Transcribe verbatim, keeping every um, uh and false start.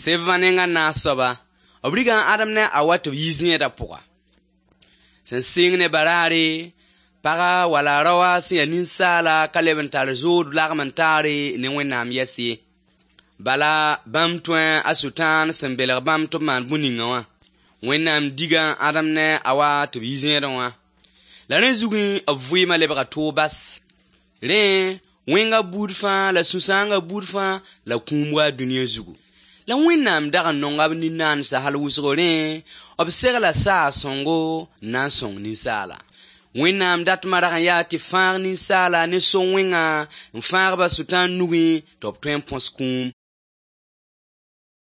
Sẽn va nenga naas soaba, b riga a Adam ne a Awa tɩ b yi zẽedã pʋga. Sẽn sɩng ne baraare, paga wala raoa sẽn ya ninsaala ka leb n tar zood lagem n taare ne Wẽnnaam yɛs ye. Bala bãmb tõe a Sʋtãan sẽn belg bãmb tɩ b maan bũn-ningã wã. Wẽnnaam diga Adam ne a Awa tɩ b yi zẽedẽ wã. La rẽ zugẽ b vɩɩmã lebga toog bas. Rẽ, wẽnga buud fãa la sũ-sãangã buud fãa la kũum wa dũniyã zugu. La Wẽnnaam dag n nonga b nin-naandsã hal wʋsgo rẽ, b segla saag-sõngo n na n sõng ninsaala. Wẽnnaam datmã rag n yaa tɩ fãag ninsaala ne so-wẽngã n fãag-ba Sʋtãan nugẽ tɩ b tõe n põs kũum.